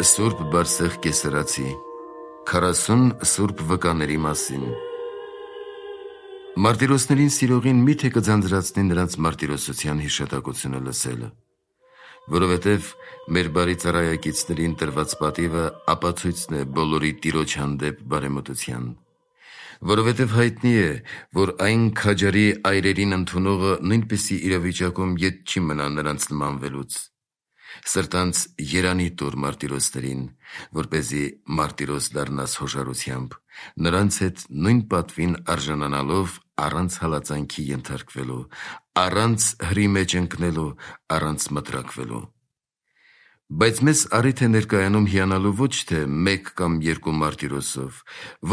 Սուրբ Բարսեղ Կեսարացի 40 սուրբ վկաների մասին։ Մարտիրոսներին սիրողին միթե կձանձրացնի նրանց մարտիրոսության հիշատակությունը լսելը, որովհետև մեր բարի ծառայակիցներին տրված պատիվը ապացույցն է բոլորի Տիրոջ հանդեպ բարեմտության, որովհետև հայտնի է, որ այն քաջարի այրերին ընդունողը նույնպիսի իրավիճակում ետ չի մնա նրանց նմանվելուց։ Սրտանց երանի տուր մարտիրոսներին, որպեսզի մարտիրոս դառնաս հոժարությամբ, նրանց հետ նույն պատվին արժանանալով առանց հալածանքի ենթարկվելու, առանց հրի մեջ ընկնելու, առանց մտրակվելու։ Բայց մեզ առիթ է ներկայանում հիանալու ոչ թե մեկ կամ երկու մարտիրոսով,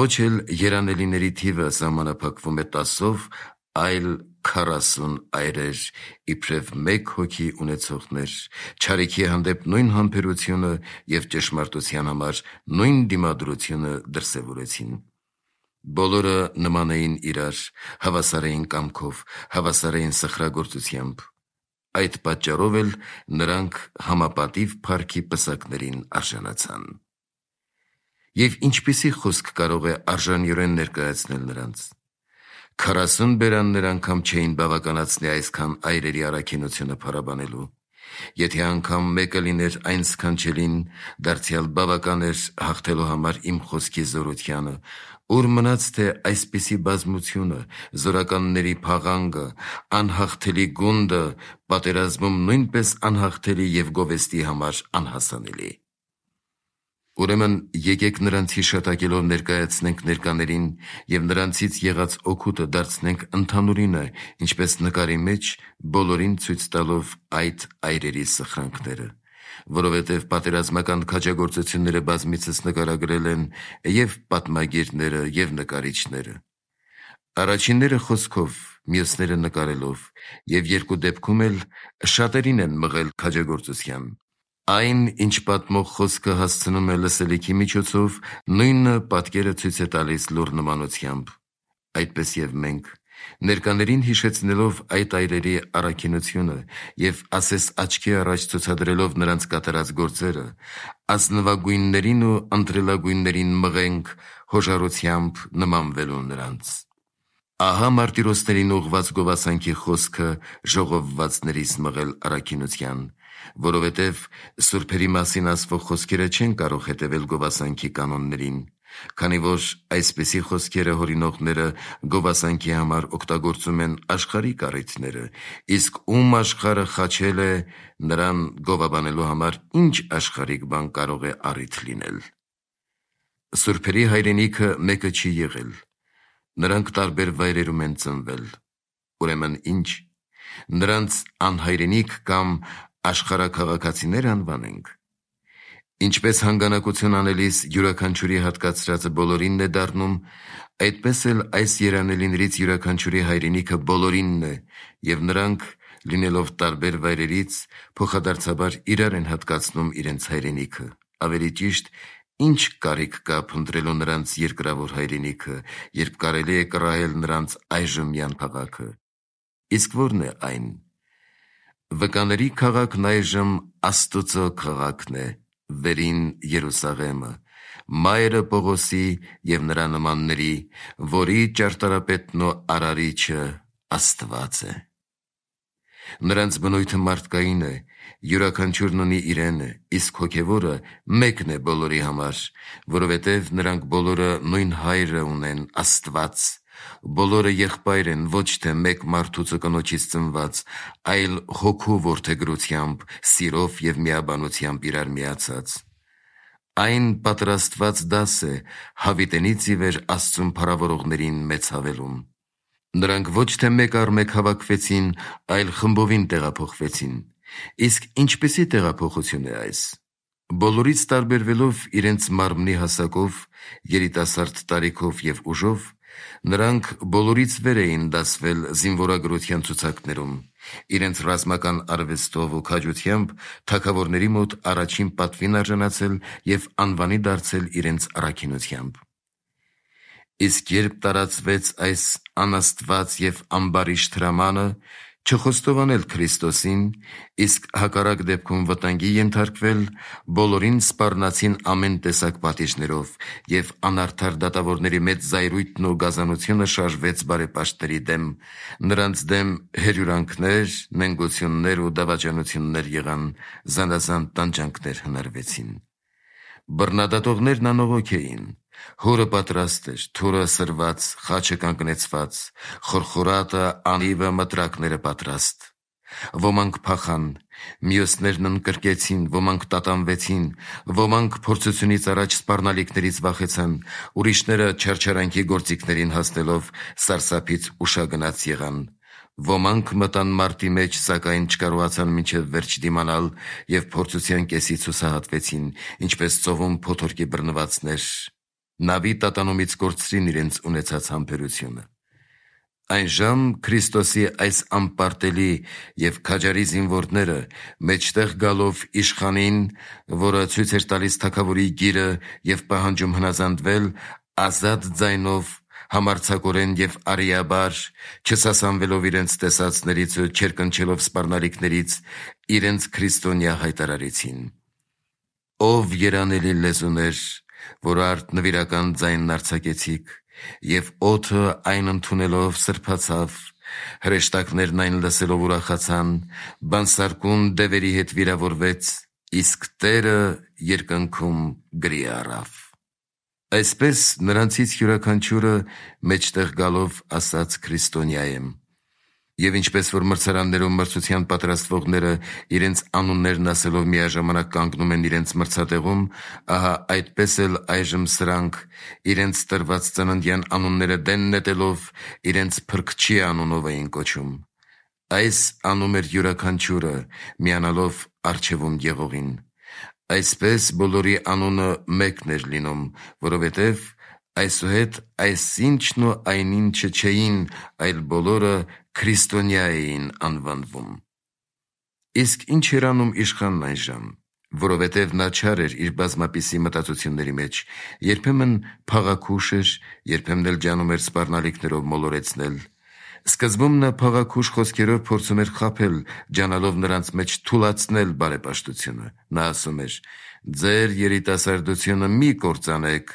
ոչ էլ երանելիների թիվը սահմանափակվում է 10-ով, այլ 40 այրեր, իբրև մեկ հոգի ունեցողներ, չարիքի հանդեպ նույն համբերությունը և ճշմարտության համար նույն դիմադրությունը դրսևորեցին։ Բոլորը նման էին իրար, հավասար էին կամքով, հավասար էին սխրագործությամբ։ Այդ պատճառով էլ նրանք համապատիվ փառքի պսակներին արժանացան։ Եվ ինչպիսի խոսք կարող է արժանիորեն ներկայացնել նրանց։ 40 բերաններ անգամ չէին բավականացնի այսքան այրերի առաքինությունը փառաբանելու։ Եթե անգամ մեկը լիներ այն սքանչելին, դարձյալ բավական էր հաղթելու համար իմ խոսքի զորությանը, ուր մնաց թե այսպիսի բազմությունը, զորականների փաղանգը, անհաղթելի գունդը, պատերազմում նույնպես անհաղթելի և գովեստի համար անհասանելի։ Ուրեմն եկեք նրանց հիշատակելով ներկայացնենք ներկաներին և նրանցից եղած օգուտը դարձնենք ընդհանուրինը, ինչպես նկարի մեջ բոլորին ցույց տալով այդ այրերի սխրանքները, որովհետև պատերազմական քաջագործությունները բազմիցս նկարագրել են և պատմագիրները, և նկարիչները։ Առաջինները խոսքով, մյուսները նկարելով, և երկու դեպքում էլ շատերին են մղել քաջագործության։ Այն, ինչ պատմող խոսքը հասցնում է լսելիքի միջոցով, նույնը պատկերը ցույց է տալիս լուռ նմանությամբ։ Այդպես և մենք, ներկաներին հիշեցնելով այդ այրերի առաքինությունը և ասես աչքի առաջ ցուցադրելով նրանց կատարած գործերը, ազնվագույններին ու ընտրելագույններին մղենք հոժարությամբ նմանվելու նրանց։ Ահա մարտիրոսներին ուղղված գովասանքի խոսքը ժողովվածներից մղել առաքինության, որովհետև սուրբերի մասին ասվող խոսքերը չեն կարող հետևել գովասանքի կանոններին, քանի որ այսպիսի խոսքերը հորինողները գովասանքի համար օգտագործում են աշխարհիկ առիթները, իսկ ում աշխարհը խաչել է, նրան գովաբանելու համար ինչ աշխարհիկ բան կարող է առիթ լինել։ Սուրբերի հայրենիքը մեկը չի եղել, նրանք տարբեր վայրերում են ծնվել, ուրեմն ինչ, նրանց անհայրենիք կամ աշխարհաքաղաքացիներ անվանենք։ Ինչպես հանգանակություն անելիս յուրաքանչյուրի հատկացրածը բոլորինն է դառնում, այդպես էլ այս երանելիներից յուրաքանչյուրի հայրենիքը բոլորինն է, և նրանք, լինելով տարբեր վայրերից, փոխադարձաբար իրար են հատկացնում իրենց հայրենիքը, ավելի ճիշտ, ինչ կարիք կա փնտրելու նրանց երկրավոր հայրենիքը, երբ կարելի է կռահել նրանց այժմյան քաղաքը։ Իսկ ո՞րն է այն։ Վկաների քաղաքն այժմ Աստծո քաղաքն է, վերին Երուսաղեմը, մայրը Պողոսի և նրա նմանների, որի ճարտարապետն ու արարիչը Աստված է։ Նրանց բնույթը մարդկային է, յուրաքանչյուրն ունի իրենը, իսկ հոգևորը մեկն է բոլորի համար, որովհետև նրանք բոլորը նույն հայրը ունեն, Աստված, բոլորը եղբայր են ոչ թե մեկ մարդուց ու կնոջից ծնված, այլ հոգու որդեգրությամբ, սիրով և միաբանությամբ իրար միացած։ Այն պատրաստված դաս է հավիտենից ի վեր Աստծուն փառավորողներին մեծ հավելում։ Նրանք ոչ թե մեկ առ մեկ հավաքվեցին, այլ խմբովին տեղափոխվեցին։ Իսկ ինչպիսի տեղափոխություն է այս։ Բոլորից տարբերվելով իրենց մարմնի հասակով, երիտասարդ տարիքով և ուժով, նրանք բոլորից վեր էին դասվել զինվորագրության ցուցակներում, իրենց ռազմական արվեստով ու քաջությամբ թագավորների մոտ առաջին պատվին արժանացել և անվանի դարձել իրենց առաքինությամբ։ Իսկ երբ տարածվեց այս անաստված և ամբարիշտ հրամանը, չխոստովանել Քրիստոսին, իսկ հակառակ դեպքում վտանգի ենթարկվել, բոլորին սպառնացին ամեն տեսակ պատիժներով, և անարդար դատավորների մեծ զայրույթն ու գազանությունը շարժվեց բարեպաշտների դեմ, նրանց դեմ հերյուրանքներ, նենգություններ ու դավաճանություններ եղան, զանազան տանջանքներ հնարվեցին։ Բռնադատողներն անողոք էին, հորը պատրաստ էր, թուրը սրված, խաչը կանգնեցված, խորխորատը, անիվը, մտրակները պատրաստ։ Ոմանք փախան, մյուսներն ընկրկեցին, ոմանք տատանվեցին, ոմանք փորձությունից առաջ սպառնալիքներից վախեցան, ուրիշները չարչարանքի գործիքներին հասնելով սարսափից ուշագնաց եղան։ Ոմանք մտան մարտի մեջ, սակայն չկարողացան մինչև վերջ դիմանալ և փորձության կեսից հուսահատվեցին, ինչպես ծովում փոթորկի բռնվածներ, նավի տատանումից կորցրին իրենց ունեցած համբերությունը։ Այնժամ Քրիստոսի այս անպարտելի և քաջարի զինվորները մեջտեղ գալով իշխանին, որը ցույց էր տալիս թագավորի գիրը և պահանջում հնազանդվել, ազատ ձայնով, համարձակորեն և արիաբար, չսասանվելով իրենց տեսածներից ու չերկնչելով սպառնալիքներից, իրենց քրիստոնյա հայտարարեցին. «Ով երանելի լեզուներ, որ արդ նվիրական ձայնն արձակեցիք, և օդը այն ընդունելով սրբացավ, հրեշտակներն այն լսելով ուրախացան, բանսարկուն դևերի հետ վիրավորվեց, իսկ Տերը երկնքում գրի առավ»։ Այսպես նրանցից յուրաքանչյուրը մեջտեղ գալով ասաց քրիստոնյա եմ։ Եվ ինչպես որ մրցարաններում մրցության պատրաստվողները իրենց անուններն ասելով միաժամանակ կանգնում են իրենց մրցատեղում, ահա այդպես էլ այժմ սրանք, իրենց տրված ծննդյան անունները դեն նետելով, իրենց Փրկչի անունով էին կոչում։ Այս անում էր յուրաքանչյուրը, միանալով առջևում եղողին։ Այսպես բոլորի անունը մեկն էր լինում, որովհետև այսուհետ այսինչն ու այնինչը չէին, այլ բոլորը քրիստոնյա էին անվանվում։ Իսկ ինչ էր անում իշխանն այնժամ, որովհետև նա չար էր իր բազմապիսի մտածությունների մեջ, երբեմն փաղաքուշ էր, երբեմն էլ ջանում էր սպառնալիքներով մոլորեցնել։ Սկզբում նա փաղաքուշ խոսքերով փորձում էր խաբել, ջանալով նրանց մեջ թուլացնել բարեպաշտությունը։ Նա ասում էր. «Ձեր երիտասարդությունը մի կործանեք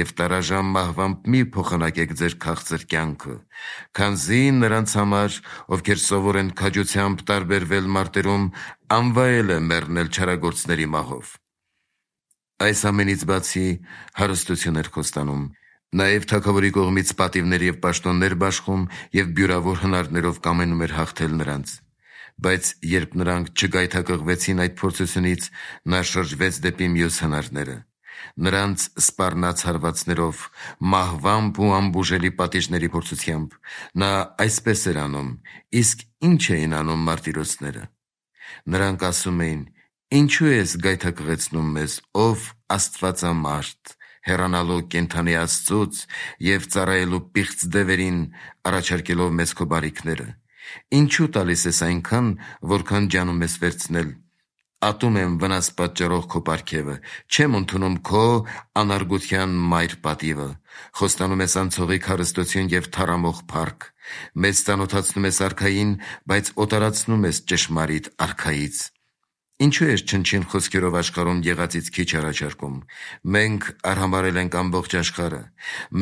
և տարաժամ մահվամբ մի փոխանակեք ձեր քաղցր կյանքը, քանզի նրանց համար, ովքեր սովոր են քաջությամբ տարբերվել մարտերում, անվայել է մեռնել չարագործների մահով»։ Այս ամենից բացի հարստություն էր խոստանում։ Նաև թագավորի կողմից պատիվներ և պաշտոններ բաշխում և բյուրավոր հնարներով կամենում էր հաղթել նրանց։ Բայց երբ նրանք չգայթակղվեցին այդ փորձությունից, նա շրջվեց դեպի մյուս հնարները։ Նրանց սպառնաց հարվածներով, մահվամբ ու անբուժելի պատիժների փորձությամբ։ Նա այսպես էր անում, իսկ ի՞նչ էին անում մարտիրոսները։ Նրանք ասում էին. «Ինչու ես գայթակղեցնում մեզ, ով Աստվածամարդ, հեռանալու կենդանի Աստծուց և ծառայելու պիղծ դևերին, առաջարկելով մեզ քո բարիքները։ Ինչու տալիս ես այնքան, որքան ջանում ես վերցնել։ Ատում եմ վնաս պատճառող քո պարգևը, չեմ ընդունում քո անարգության մայր պատիվը։ Խոստանում ես անցողիկ հարստություն և թառամող փառք։ Մեզ ծանոթացնում ես արքային, բայց օտարացնում ես ճշմարիտ արքայից։ Ինչու ես չնչին խոսքերով աշխարհում եղածից քիչ առաջարկում։ Մենք արհամարհել ենք ամբողջ աշխարհը։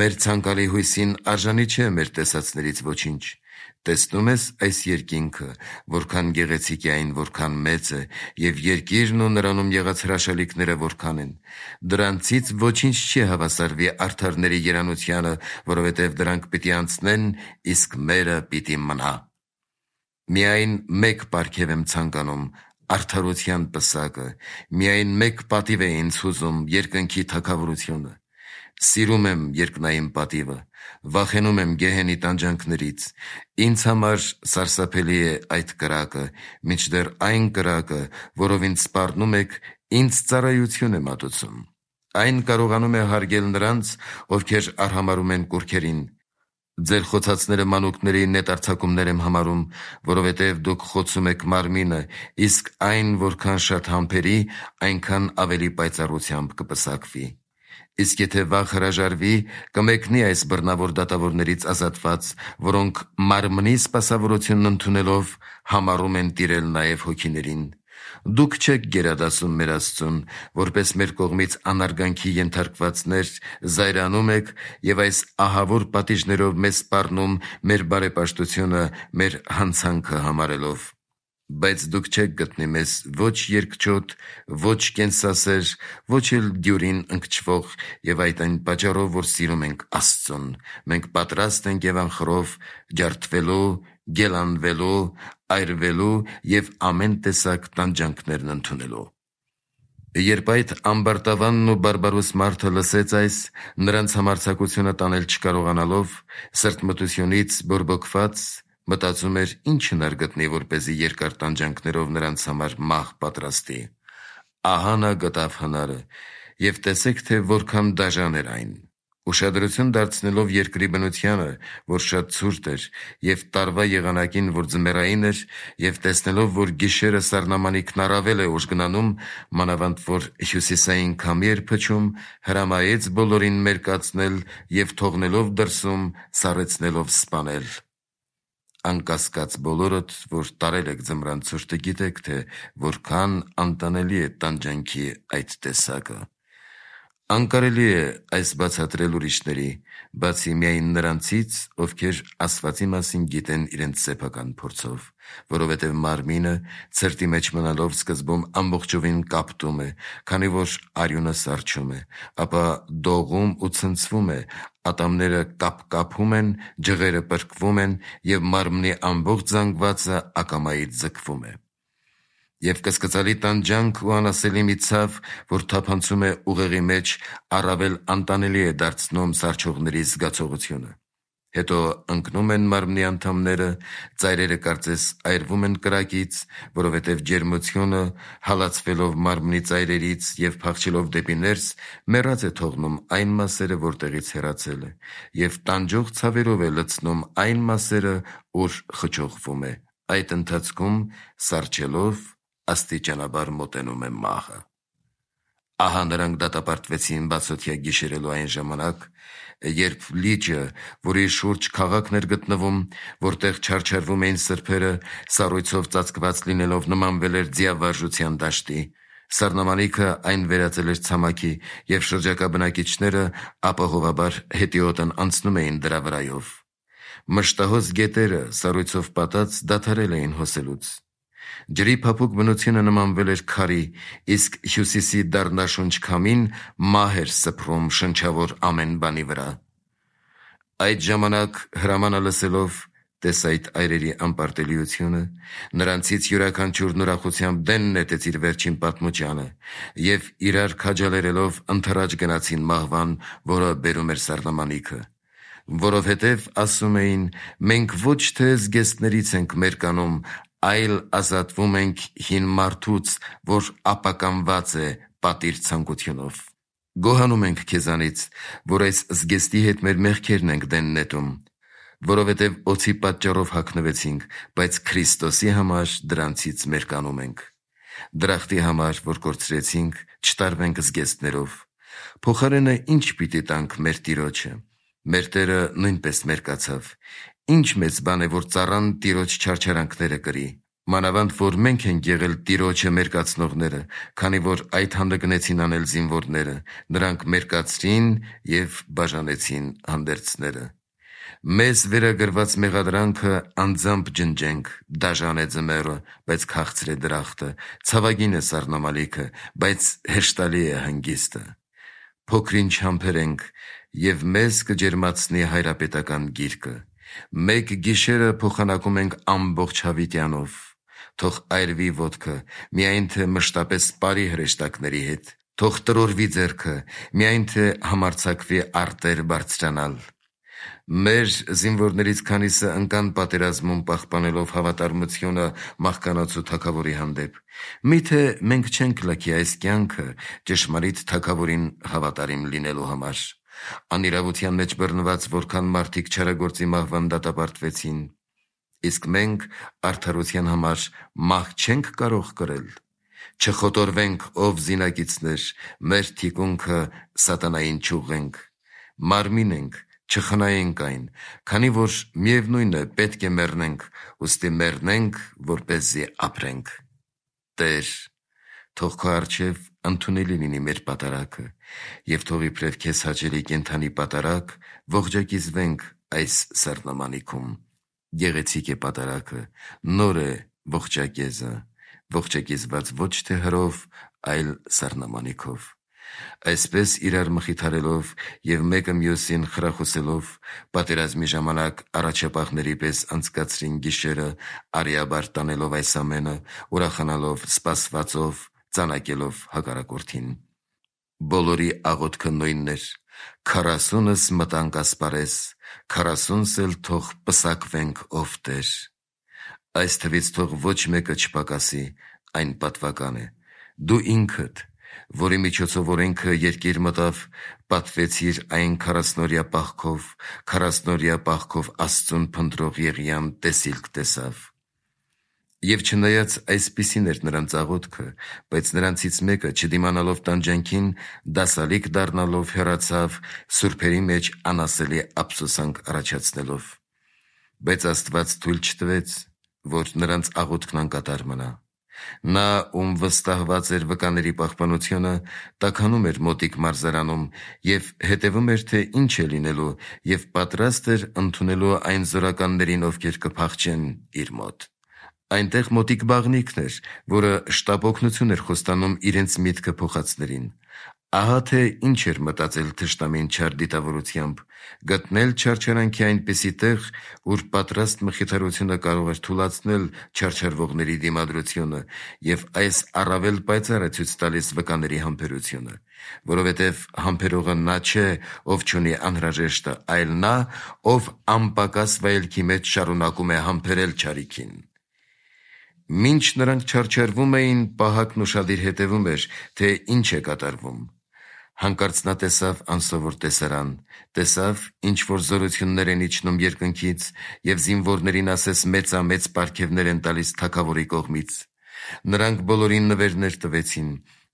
Մեր ցանկալի հույսին արժանի չէ մեր տեսածներից ոչինչ։ Տեսնում ես այս երկինքը, որքան գեղեցիկ է այն, որքան մեծ է, և երկիրն ու նրանում եղած հրաշալիքները որքան են։ Դրանցից ոչինչ չի հավասարվի արդարների երանությանը, որովհետև դրանք պիտի անցնեն, իսկ մերը պիտի մնա։ Միայն մեկ պարգև եմ ցանկանում, արդարության պսակը, միայն մեկ պատիվ է ինձ հուզում, երկնքի թագավորությունը։ Սիրում եմ երկնային պատիվը, վախենում եմ գեհենի տանջանքներից։ Ինձ համար սարսափելի է այդ կրակը, մինչդեռ այն կրակը, որով ինձ սպառնում եք, ինձ ծառայություն է մատուցում։ Այն կարողանում է հարգել նրանց, ովքեր արհամարհում են կուռքերին։ Ձեր խոցածները մանուկների նետարձակումներ եմ համարում, որովհետև դուք խոցում եք մարմինը, իսկ այն որքան շատ համբերի, այնքան ավելի պայծառությամբ կպսակվի։ Իսկ եթե վաղ հրաժարվի, կմեկնի այս բռնավոր դատավորներից ազատված, որոնք մարմնի սպասավորությունն ընդունելով համարում են տիրել նաև հոգիներին։ Դուք չեք գերադասում մեր Աստծուն, որպես մեր կողմից անարգանքի ենթարկվածներ զայրանում եք և այս ահավոր պատիժներով մեզ սպառնում մեր բարեպաշտությունը մեր հանցանքը համարելով։ Բայց դուք չեք գտնի մեզ ոչ երկչոտ, ոչ կենսասեր, ոչ էլ դյուրին ընկճվող, և այդ այն պատճառով, որ սիրում ենք Աստծուն, մենք պատրաստ ենք և անխռով ջարդվելու, գելանվելու, այրվելու և ամեն տեսակ տանջանքներն ընդունելու։ Երբ այդ ամբարտավանն ու բարբարոս մարդը լսեց այս, նրանց համարձակությունը տանել չկարողանալով, սրտմտությունից բորբոքված, մտածում էր ինչ հնար գտնի, որպեսզի երկար տանջանքներով նրանց համար մահ պատրաստի։ Ահա նա գտավ հնարը, և տեսեք, թե որքան դաժան էր այն։ Ուշադրություն դարձնելով երկրի բնությանը, որ շատ ցուրտ էր, և տարվա եղանակին, որ ձմեռային էր, և տեսնելով, որ գիշերը սառնամանիքն առավել է ուժգնանում, մանավանդ որ հյուսիսային քամի էր փչում, հրամայեց բոլորին մերկացնել և թողնելով դրսում սառեցնելով սպանել։ Անկասկած բոլորդ, որ տարել եք ձմռան ցուրտը, գիտեք, թե որքան անտանելի է տանջանքի այդ տեսակը։ Անկարելի է այս բացատրել ուրիշների, բացի միայն նրանցից, ովքեր Աստվածի մասին գիտեն իրենց սեփական փորձով, որովհետև մարմինը ցրտի մեջ մնալով սկզբում ամբողջովին կապտում է, քանի որ արյունը սառչում է, ապա դողում ու ցնցվում է, ատամները կապկապում են, ջղերը պրկվում են, և մարմնի ամբողջ զանգվածը ակամայից ձգվում է։ Եվ կսկծալի տանջանք ու անասելի մի ցավ, որ թափանցում է ուղեղի մեջ, առավել անտանելի է դարձնում սառչողների զգացողությունը։ Հետո ընկնում են մարմնի անդամները, ծայրերը կարծես այրվում են կրակից, որովհետև ջերմությունը, հալածվելով մարմնի ծայրերից և փախչելով դեպի ներս, մեռած է թողնում այն մասերը, որտեղից հեռացել է, և տանջող ցավերով է լցնում այն մասերը, ուր խճողվում է, այդ ընթացքում սառչելով աստիճանաբար մոտենում է մահը։ Ահա նրանք դատապարտվեցին բացօթյա գիշերելու այն ժամանակ, երբ լիճը, որի շուրջ քաղաքն էր գտնվում, որտեղ չարչարվում էին սրբերը, սառույցով ծածկված լինելով նմանվել էր ձիավարժության դաշտի։ Սառնամանիքը այն վերածել էր ցամաքի, և շրջակա բնակիչները ապահովաբար հետիոտն անցնում էին դրա վրայով։ Մշտահոս գետերը սառույցով պատած դադարել էին հոսելուց։ Ջրի փափուկ բնությունը նմանվել էր քարի, իսկ հյուսիսի դառնաշունչ քամին մահ էր սփռում շնչավոր ամեն բանի վրա։ Այդ ժամանակ հրամանը լսելով, տես այդ այրերի անպարտելիությունը, նրանցից յուրաքանչյուրն ուրախությամբ դեն նետեց իր վերջին պատմությանը, և իրար քաջալերելով ընդառաջ գնացին մահվան, որը բերում էր սառնամանիքը։ Որովհետև ասում էին, մենք ոչ թե զգեստներից ենք մերկանում, այլ ազատվում ենք հին մարդուց, որ ապականված է պատիր ցանկությունով։ Գոհանում ենք քեզանից, որ այս զգեստի հետ մեր մեղքերն ենք դեն նետում, որովհետև օձի պատճառով հագնվեցինք, բայց Քրիստոսի համար դրանցից մերկանում ենք։ Դրախտի համար, որ կորցրեցինք, չտարվենք զգեստներով։ Փոխարենը ինչ պիտի տանք մեր Տիրոջը։ Մեր Տերը նույնպես մերկացավ։ Ինչ մեծ բան է, որ ծառան Տիրոջ չարչարանքները կրի։ Մանավանդ որ մենք ենք եղել Տիրոջը մերկացնողները, քանի որ այդ հանդգնեցին անել զինվորները, նրանք մերկացրին և բաժանեցին հանդերձները։ Մեզ վերագրված մեղադրանքը անձամբ ջնջենք, դաժան է ձմեռը, բայց քաղցր է դրախտը, ցավագին է սառնամանիքը, բայց հեշտալի է հանգիստը։ Փոքրինչ համբեր ենք, և մեզ կջերմացնի հայրապետական գիրկը։ Մեկ գիշերը փոխանակում ենք ամբողջ հավիտյանով։ Թող այրվի ոտքը, միայն թե մշտապես սպարի հրեշտակների հետ։ Թող տրորվի ձեռքը, միայն թե համարձակվի արտեր բարձրանալ։ Մեր զինվորներից քանիսը ընկան պատերազմում պահպանելով հավատարմությունը մահկանացու թագավորի հանդեպ։ Միթե մենք չենք լքի այս կյանքը ճշմարիտ թագավորին հավատարիմ լինելու համար։ Անիրավության մեջ բռնված որքան մարդիկ չարագործի մահվան դատապարտվեցին, իսկ մենք արդարության համար մահ չենք կարող կրել։ Չխոտորվենք, ով զինակիցներ, մեր թիկունքը սատանային չուղենք, մարմին ենք, չխնայենք այն, քանի որ միևնույն է պետք է մեռնենք, ուստի մեռնենք, որպեսզի ապրենք։ Տեր, թող քո առջև ընդունելի լինի մեր պատարագը, և թող իբրև քեզ հաճելի կենդանի պատարագ ողջակիզվենք այս սառնամանիքում։ Գեղեցիկ է պատարագը, նոր է ողջակեզը, ողջակիզված ոչ թե հրով, այլ սառնամանիքով։ Այսպես իրար մխիթարելով և մեկը մյուսին խրախուսելով, պատերազմի ժամանակ առաջապահների պես անցկացրին գիշերը, արիաբար տանելով այս ամենը, ուրախանալով, սպասվածով, ծանակելով հակառակորդին։ Բոլորի աղոթքը նույնն էր. 40-ս մտանք ասպարես, 40-ս էլ թող պսակվենք, ով Տեր։ Այս թվից թող ոչ մեկը չպակասի, այն պատվական է։ Դու ինքդ, որի միջոցով օրենքը երկիր մտավ, պատվեցիր այն 40-օրյա պահքով Աստծուն փնտրող Եղիան տեսիլք տեսավ։ Եվ չնայած այսպիսին էր նրանց աղոթքը, բայց նրանցից մեկը, չդիմանալով տանջանքին, դասալիկ դառնալով հեռացավ, սուրբերի մեջ անասելի ափսոսանք առաջացնելով։ Բայց Աստված թույլ չտվեց, որ նրանց աղոթքն անկատար մնա։ Նա, ում վստահված էր վկաների պահպանությունը, տաքանում էր մոտիկ մարզարանում և հետևում էր, թե ինչ է լինելու, և պատրաստ էր ընդունելու այն զորականներին, ովքեր կփախչեն իր մոտ։ Այնտեղ մոտիկ բաղնիքն էր, որը շտապ օգնություն էր խոստանում իրենց միտքը փոխածներին։ Ահա թե ինչ էր մտածել թշնամին չար դիտավորությամբ՝ գտնել չարչարանքի այնպիսի տեղ, ուր պատրաստ մխիթարությունը կարող էր թուլացնել չարչարվողների դիմադրությունը, և այս առավել պայծառ է ցույց տալիս վկաների համբերությունը, որովհետև համբերողը նա չէ, ով չունի անհրաժեշտը, այլ նա, ով անպակաս վայելքի մեջ շարունակում է համբերել չարիքին։ Մինչ նրանք չարչարվում էին, պահակն ուշադիր հետևում էր, թե ինչ է կատարվում։ Հանկարծ նա տեսավ անսովոր տեսարան, տեսավ, ինչ-որ զորություններ են իջնում երկնքից և զինվորներին ասես մեծամեծ պարգևներ են տալիս թագավորի կողմից։ Նրանք բոլորին նվերներ տվեցին,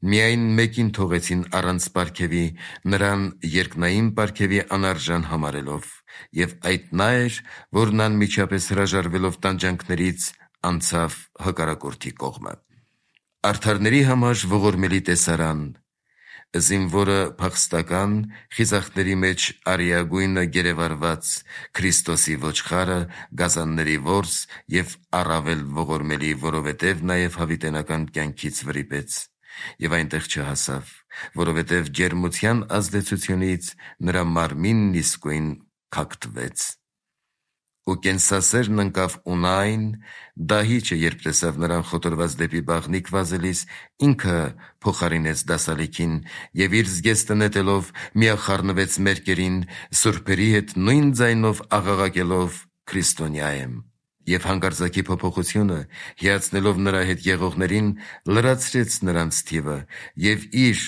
միայն մեկին թողեցին առանց պարգևի, նրան երկնային պարգևի անարժան համարելով, և այդ նա էր, որն անմիջապես հրաժարվելով տանջանքներից անցավ հակառակորդի կողմը։ Արդարների համար ողորմելի տեսարան, զինվորը փախստական, խիզախների մեջ արիագույնը գերեվարված, Քրիստոսի ոչխարը, գազանների որս և առավել ողորմելի, որովհետև նաև հավիտենական կյանքից վրիպեց և այնտեղ չհասավ, որովհետև ջերմության ազդեցությունից նրա մարմինն իսկույն քակտվեց։ Ու կենսասերն ընկավ Ունայն, դահիճը, երբ տեսավ նրան խոտորված դեպի բաղնիք վազելիս, ինքը փոխարինեց դասալիքին և իր զգեստը նետելով միախառնվեց մերկերին, սուրբերի հետ նույն ձայնով աղաղակելով «Քրիստոնյա եմ»։ Եվ հանկարծակի փոփոխությունը, հիացնելով նրա հետ եղողներին, լրացրեց նրանց թիվը և իր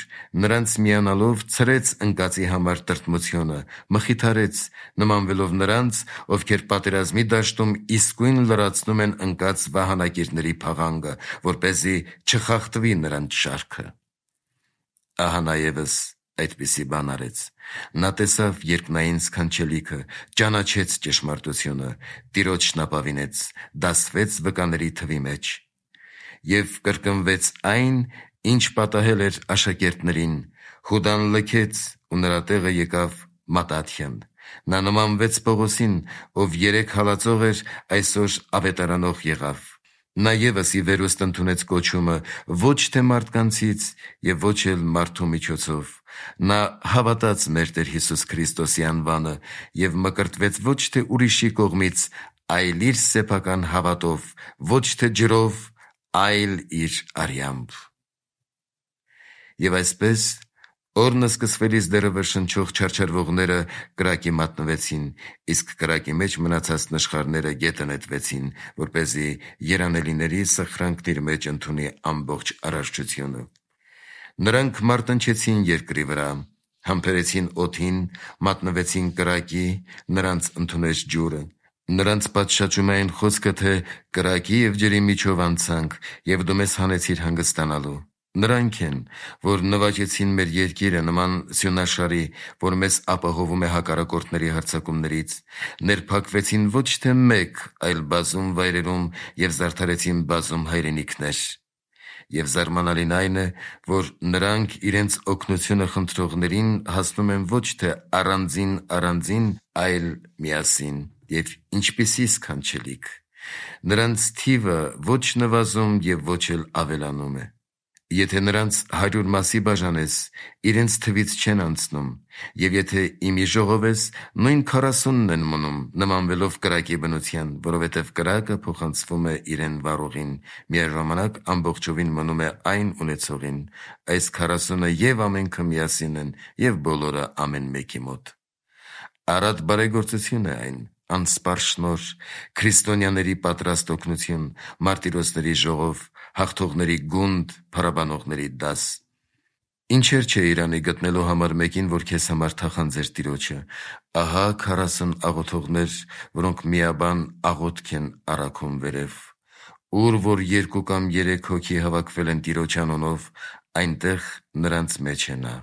նրանց միանալով ցրեց ընկածի համար տրտմությունը, մխիթարեց, նմանվելով նրանց, ովքեր պատերազմի դաշտում իսկույն լրացնում են ընկած վահանակիրների փաղանգը, որպեսզի չխախտվի նրանց շարքը։ Ահա նա ևս այդպիսի բան արեց։ Նա տեսավ երկնային սքանչելիքը, ճանաչեց ճշմարտությունը, Տիրոջն ապավինեց, դասվեց վկաների թվի մեջ և կրկնվեց այն, ինչ պատահել էր աշակերտներին. Հուդան լքեց ու նրա տեղը եկավ Մատաթյան։ Նա նմանվեց Պողոսին, ով 3 հալածող էր, այսօր ավետարանող եղավ։ Նա ևս ի վերուստ ընդունեց կոչումը ոչ թե մարդկանցից և ոչ էլ մարդու միջոցով։ Նա հավատաց մեր Տեր Հիսուս Քրիստոսի անվանը և մկրտվեց ոչ թե ուրիշի կողմից, այլ իր սեփական հավատով, ոչ թե ջրով, այլ իր արյամբ։ Եվ այսպես, օրն սկսվելիս դեռևս շնչող չարչարվողները կրակի մատնվեցին, իսկ կրակի մեջ մնացած նշխարները գետը նետվեցին, որպեսզի երանելիների սխրանքն իր մեջ ընդունի ամբողջ արարչությունը։ Նրանք մարտնչեցին երկրի վրա, համբերեցին օդին, մատնվեցին կրակի, նրանց ընդունեց ջուրը։ Նրանց պատշաճում այն խոսքը, թե կրակի և ջրի միջով անցանք, և դու մեզ հանեցիր հանգստանալու։ Նրանք են, որ նվաճեցին մեր երկիրը նման սյունաշարի, որ մեզ ապահովում է հակառակորդների հարձակումներից, ներփակվեցին ոչ թե մեկ, այլ բազում վայրերում և զարդարեցին բազում հայրենիքներ։ Եվ զարմանալին այն է, որ նրանք իրենց օգնությունը խնդրողներին հասնում են ոչ թե առանձին, այլ միասին, և ինչպիսի սքանչելիք։ Նրանց թիվը ոչ նվազում և ոչ էլ ավելանում է։ Եթե նրանց 100 մասի բաժանես, իրենց թվից չեն անցնում, և եթե իմի ժողովես, նույն 40-ն են մնում, նմանվելով կրակի բնության, որովհետև կրակը փոխանցվում է իրեն վառողին, միաժամանակ ամբողջովին մնում է այն ունեցողին, այս 40-ը և ամենքը միասին են, և բոլորը ամեն մեկի մոտ։ Առատ բարեգործություն է այն, անսպառ շնորհ, քրիստոնյաների պատրաստ օգնություն, մարտիրոսների ժողով, հաղթողների գունդ, փառաբանողների դաս։ Ինչեր չէ Իրանի գտնելու համար մեկին, որ քեզ համար թախանձեր Տիրոջը։ Ահա 40 աղոթողներ, որոնք միաբան աղոթք են առաքում վերև։ Ուր որ 2 կամ 3 հոգի հավաքվել են Տիրոջ անունով, այնտեղ նրանց մեջ է նա։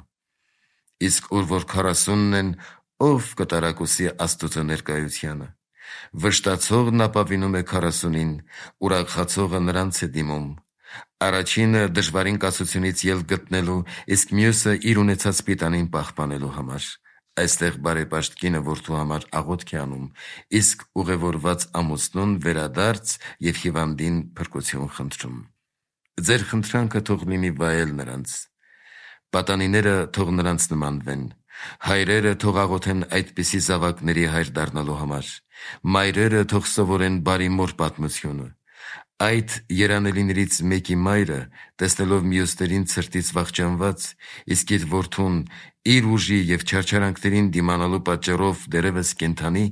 Իսկ ուր որ 40-ն են, ով կտարակուսի Աստծո ներկայությանը։ Վշտացողն ապավինում է 40-ին, ուրախացողը նրանց է դիմում։ Առաջինը դժվարին կացությունից ելք գտնելու, իսկ մյուսը իր ունեցած պիտանին պահպանելու համար։ Այստեղ բարեպաշտ կինը որդու համար աղոթք է անում, իսկ ուղևորված ամուսնուն վերադարձ և հիվանդին փրկություն խնդրում։ Ձեր խնդրանքը թող լինի վայել նրանց։ Պատանիները թող նրանց նմանվեն։ Հայրերը թող աղոթեն այդպիսի զավակների հայր դառնալու համար։ Մայրերը թող սովորեն բարի մոր պատմությունը։ Այդ երանելիներից մեկի մայրը, տեսնելով մյուսներին ցրտից վախճանված, իսկ իր որդուն իր ուժի և չարչարանքներին դիմանալու պատճառով դեռևս կենդանի,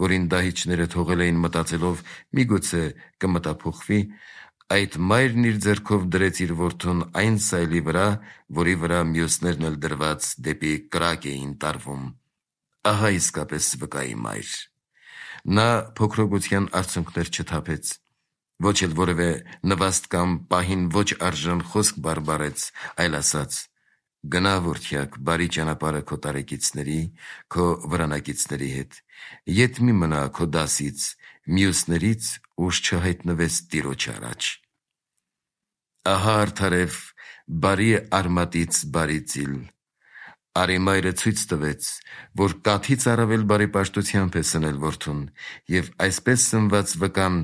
որին դահիճները թողել էին մտածելով միգուցե կմտափոխվի, այդ մայրն իր ձեռքով դրեց իր որդուն այն սայլի վրա, որի վրա մյուսներն էլ դրված դեպի կրակ էին տարվում։ Ահա իսկապես վկայի մայր։ Նա փոքրոգության արցունքներ չթափեց, ոչ էլ որևէ նվաստ կամ պահին ոչ արժան խոսք բարբառեց, այլ ասաց. «Գնա, որդյակ, բարի ճանապարհը քո տարեկիցների, քո վրանակիցների հետ, ետ մի մնա քո դասից, մյուսներից ուշ չհայտնվես Տիրոջ առաջ»։ Ահա արդարև բարի արմատից բարի ծիլ։ Արի մայրը ցույց տվեց, որ կաթից առավել բարեպաշտությամբ է սնել որդուն, և այսպես սնված վկան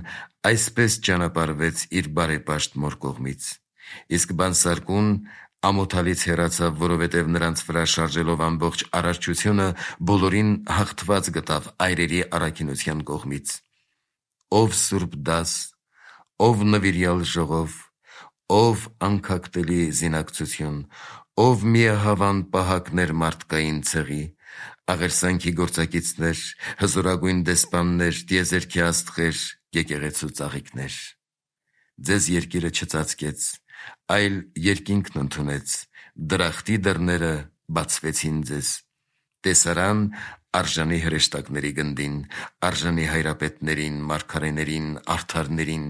այսպես ճանապարհվեց իր բարեպաշտ մոր կողմից։ Իսկ բանսարկուն ամոթալից հեռացավ, որովհետև նրանց վրա շարժելով ամբողջ արարչությունը բոլորին հաղթված գտավ այրերի առաքինության կողմից։ Ով սուրբ դաս, ով նվիրյալ ժողով, ով անքակտելի զինակցություն, ով միահավան պահակներ մարդկային ցեղի, աղերսանքի գործակիցներ, հզորագույն դեսպաններ, տիեզերքի աստղեր, եկեղեցու ծաղիկներ։ Ձեզ երկիրը չծածկեց, այլ երկինքն ընդունեց, դրախտի դռները բացվեցին ձեզ։ Տեսարան արժանի հրեշտակների գնդին, արժանի հայրապետներին, մարգարեներին, արդարներին,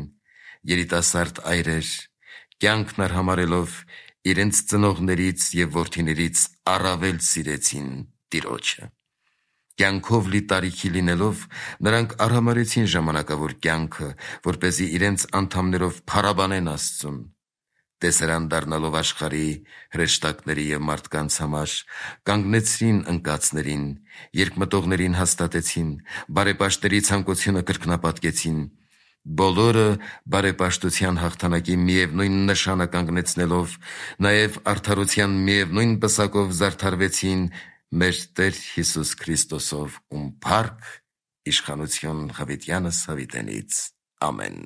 երիտասարդ այրեր, կյանքն արհամարհելով իրենց ծնողներից և որդիներից առավել սիրեցին Տիրոջը։ Կյանքով լի տարիքի լինելով, նրանք արհամարհեցին ժամանակավոր կյանքը, որպեսզի իրենց անդամներով փառաբանեն Աստծուն։ Տեսարան դառնալով աշխարհի հրեշտակների և մարդկանց համար, կանգնեցրին ընկածներին, երկմտողներին հաստատեցին, բարեպաշտների ցանկությունը կրկնապատկեցին, բոլորը բարեպաշտության հաղթանակի միևնույն նշանը կանգնեցնելով, նաև արդարության միևնույն պսակով զարդարվեցին մեր Տեր Հիսուս Քրիստոսով, ում փառք, իշխանություն Հավիտյանս Հավիտենից։ Ամեն։